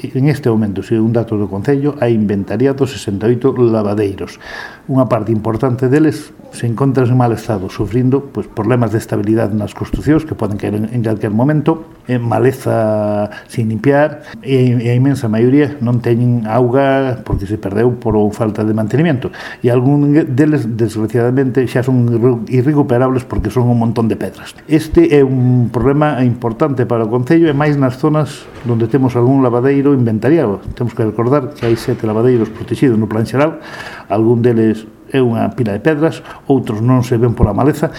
En este momento, segundo un dato do Concello, hai inventariados 68 lavadeiros. Unha parte importante deles se encontran en mal estado, sufrindo problemas de estabilidade nas construcións que poden caer en calquer momento, maleza sin limpiar, e a inmensa maioría non teñen auga porque se perdeu por falta de mantenimiento. E algún deles, desgraciadamente, xa son irrecuperables porque son un montón de pedras. Este é un problema importante para o Concello, e máis nas zonas onde temos algún lavadeiro inventariado. Temos que recordar que hai 7 lavadeiros protegidos no plan xeral, algún deles é unha pila de pedras, outros non se ven pola maleza,